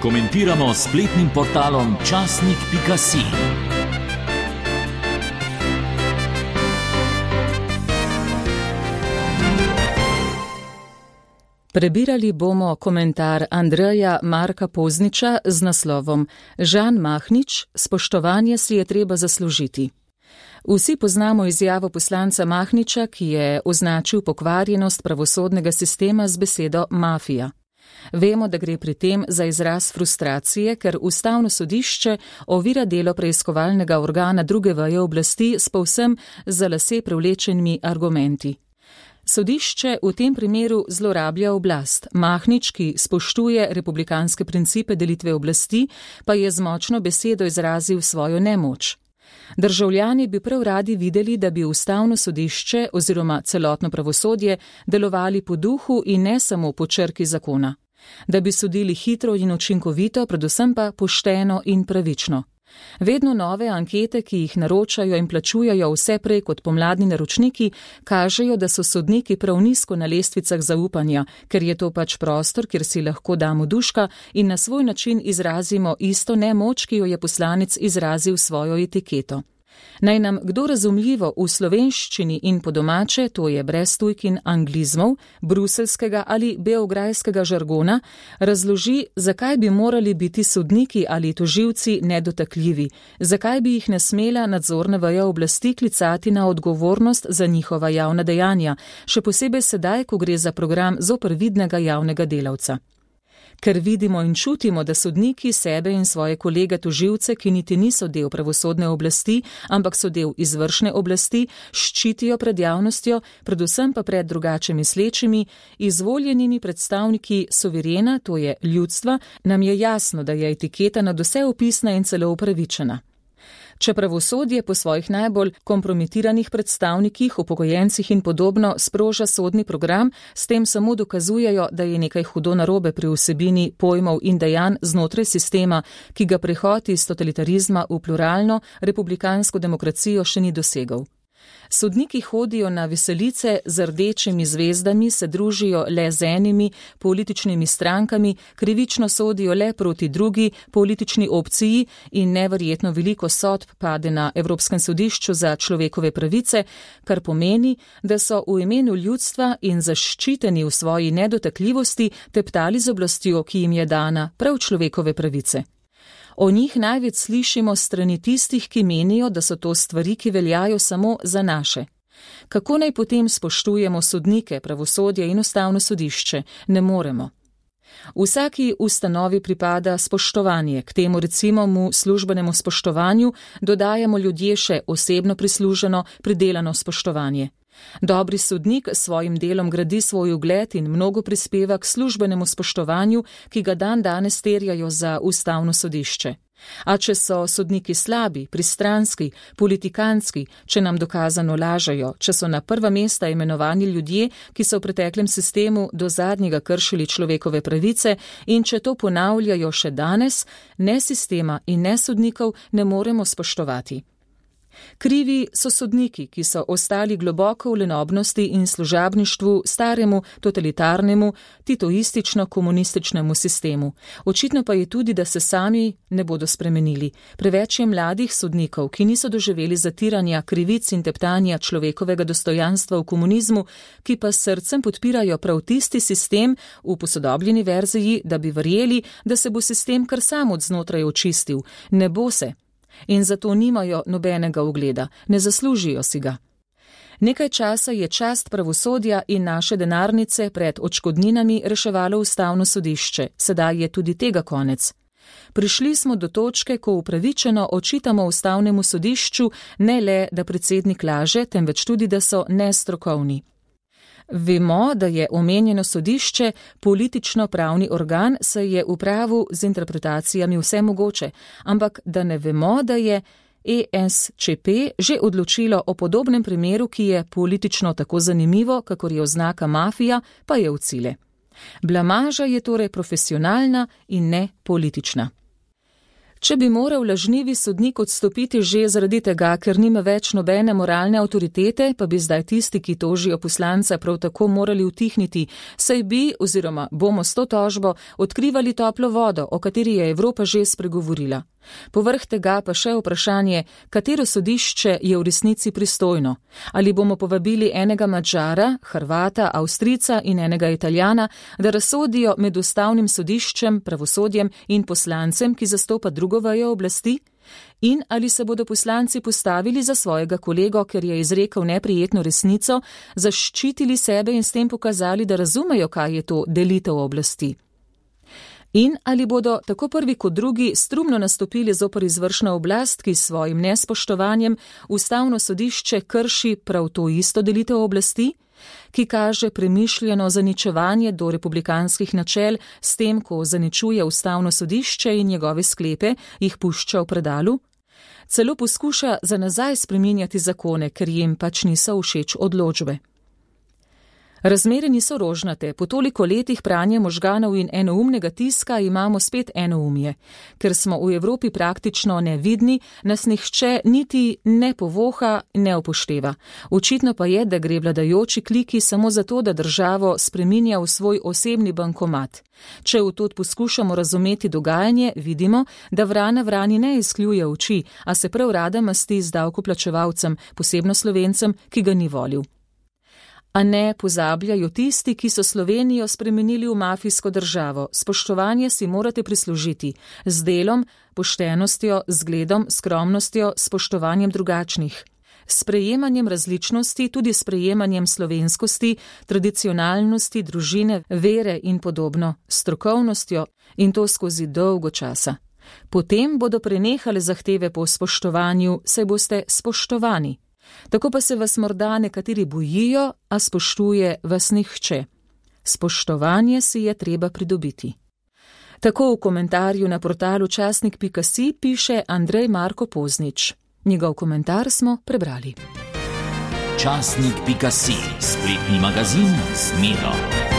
Komentiramo s spletnim portalom časnik.si. Prebirali bomo komentar Andreja Marka Pozniča z naslovom Žan Mahnič, spoštovanje si je treba zaslužiti. Vsi poznamo izjavo poslanca Mahniča, ki je označil pokvarjenost pravosodnega sistema z besedo mafija. Vemo, da gre pri tem za izraz frustracije, ker Ustavno sodišče ovira delo preiskovalnega organa druge veje oblasti s povsem za lase privlečenimi argumenti. Sodišče v tem primeru zlorablja oblast. Mahnič, ki spoštuje republikanske principe delitve oblasti, pa je z močno besedo izrazil svojo nemoč. Državljani bi prav radi videli, da bi Ustavno sodišče oziroma celotno pravosodje delovali po duhu in ne samo po črki zakona. Da bi sodili hitro in učinkovito, predvsem pa pošteno in pravično. Vedno nove ankete, ki jih naročajo in plačujajo vse prej kot pomladni naročniki, kažejo, da so sodniki prav nizko na lestvicah zaupanja, ker je to pač prostor, kjer si lahko damo duška in na svoj način izrazimo isto nemoč, ki jo je poslanec izrazil svojo etiketo. Naj nam kdo razumljivo v slovenščini in po domače, to je brez tujk in anglizmov, bruselskega ali beograjskega žargona, razloži, zakaj bi morali biti sodniki ali tožilci nedotakljivi, zakaj bi jih ne smela nadzorna veja oblasti klicati na odgovornost za njihova javna dejanja, še posebej sedaj, ko gre za program zoper vidnega javnega delavca. Ker vidimo in čutimo, da sodniki sebe in svoje kolege tožilce, ki niti niso del pravosodne oblasti, ampak so del izvršne oblasti, ščitijo pred javnostjo, predvsem pa pred drugače mislečimi, izvoljenimi predstavniki suverena, to je ljudstva, nam je jasno, da je etiketa nadvse opisna in celo upravičena. Če pravosodje po svojih najbolj kompromitiranih predstavnikih, upokojencih in podobno sproža sodni program, s tem samo dokazujejo, da je nekaj hudo narobe pri vsebini pojmov in dejanj znotraj sistema, ki ga prehod iz totalitarizma v pluralno republikansko demokracijo še ni dosegel. Sodniki hodijo na veselice z rdečimi zvezdami, se družijo le z enimi političnimi strankami, krivično sodijo le proti drugi politični opciji in neverjetno veliko sodb pade na Evropskem sodišču za človekove pravice, kar pomeni, da so v imenu ljudstva in zaščiteni v svoji nedotakljivosti teptali z oblastjo, ki jim je dana prav človekove pravice. O njih največ slišimo strani tistih, ki menijo, da so to stvari, ki veljajo samo za naše. Kako naj potem spoštujemo sodnike, pravosodje in Ustavno sodišče? Ne moremo. Vsaki ustanovi pripada spoštovanje, k temu recimo mu službenemu spoštovanju dodajamo ljudje še osebno prisluženo, pridelano spoštovanje. Dobri sodnik s svojim delom gradi svoj ugled in mnogo prispeva k službenemu spoštovanju, ki ga danes terjajo za Ustavno sodišče. A če so sodniki slabi, pristranski, politikantski, če nam dokazano lažejo, če so na prva mesta imenovani ljudje, ki so v preteklem sistemu do zadnjega kršili človekove pravice in če to ponavljajo še danes, ne sistema in ne sodnikov ne moremo spoštovati. Krivi so sodniki, ki so ostali globoko v lenobnosti in služabništvu staremu, totalitarnemu, titoistično-komunističnemu sistemu. Očitno pa je tudi, da se sami ne bodo spremenili. Preveč je mladih sodnikov, ki niso doživeli zatiranja, krivic in teptanja človekovega dostojanstva v komunizmu, ki pa s srcem podpirajo prav tisti sistem v posodobljeni verziji, da bi verjeli, da se bo sistem kar sam od znotraj očistil. Ne bo se. In zato nimajo nobenega ugleda, ne zaslužijo si ga. Nekaj časa je čast pravosodja in naše denarnice pred odškodninami reševalo Ustavno sodišče, sedaj je tudi tega konec. Prišli smo do točke, ko upravičeno očitamo Ustavnemu sodišču ne le, da predsednik laže, temveč tudi, da so nestrokovni. Vemo, da je omenjeno sodišče politično-pravni organ, saj je v pravu z interpretacijami vse mogoče, ampak da ne vemo, da je ESČP že odločilo o podobnem primeru, ki je politično tako zanimivo, kakor je oznaka mafija, pa je v cile. Blamaža je torej profesionalna in ne politična. Če bi moral lažnivi sodnik odstopiti že zaradi tega, ker nima več nobene moralne avtoritete, pa bi zdaj tisti, ki tožijo poslanca, prav tako morali utihniti, saj bi oziroma bomo s to tožbo odkrivali toplo vodo, o kateri je Evropa že spregovorila. Povrh tega pa še vprašanje, katero sodišče je v resnici pristojno. Ali bomo povabili enega Madžara, Hrvata, Avstrijca in enega Italijana, da razsodijo med ustavnim sodiščem, pravosodjem in poslancem, ki zastopa drugo vejo oblasti? In ali se bodo poslanci postavili za svojega kolego, ker je izrekel neprijetno resnico, zaščitili sebe in s tem pokazali, da razumejo, kaj je to delitev oblasti? In ali bodo tako prvi kot drugi strumno nastopili zoper izvršno oblast, ki s svojim nespoštovanjem ustavno sodišče krši prav to isto delitev oblasti, ki kaže premišljeno zaničevanje do republikanskih načel s tem, ko zaničuje ustavno sodišče in njegove sklepe jih pušča v predalu? Celo poskuša za nazaj spreminjati zakone, ker jim pač niso všeč odločbe. Razmere niso rožnate, po toliko letih pranja možganov in enoumnega tiska imamo spet enoumje. Ker smo v Evropi praktično nevidni, nas nihče niti ne povoha, ne upošteva. Očitno pa je, da gre vladajoči kliki samo zato, da državo spreminja v svoj osebni bankomat. Če v to poskušamo razumeti dogajanje, vidimo, da vrana vrani ne izkljuje oči, a se prav rada masti z davkoplačevalcem, posebno Slovencem, ki ga ni volil. A ne pozabljajo tisti, ki so Slovenijo spremenili v mafijsko državo. Spoštovanje si morate prislužiti z delom, poštenostjo, zgledom, skromnostjo, spoštovanjem drugačnih. Sprejemanjem različnosti, tudi sprejemanjem slovenskosti, tradicionalnosti, družine, vere in podobno, strokovnostjo in to skozi dolgo časa. Potem bodo prenehale zahteve po spoštovanju, saj boste spoštovani. Tako pa se vas morda nekateri bojijo, a spoštuje vas nihče. Spoštovanje si je treba pridobiti. Tako v komentarju na portalu časnik.si piše Andrej Marko Poznič. Njegov komentar smo prebrali. Časnik.si, spletni magazin z Miro.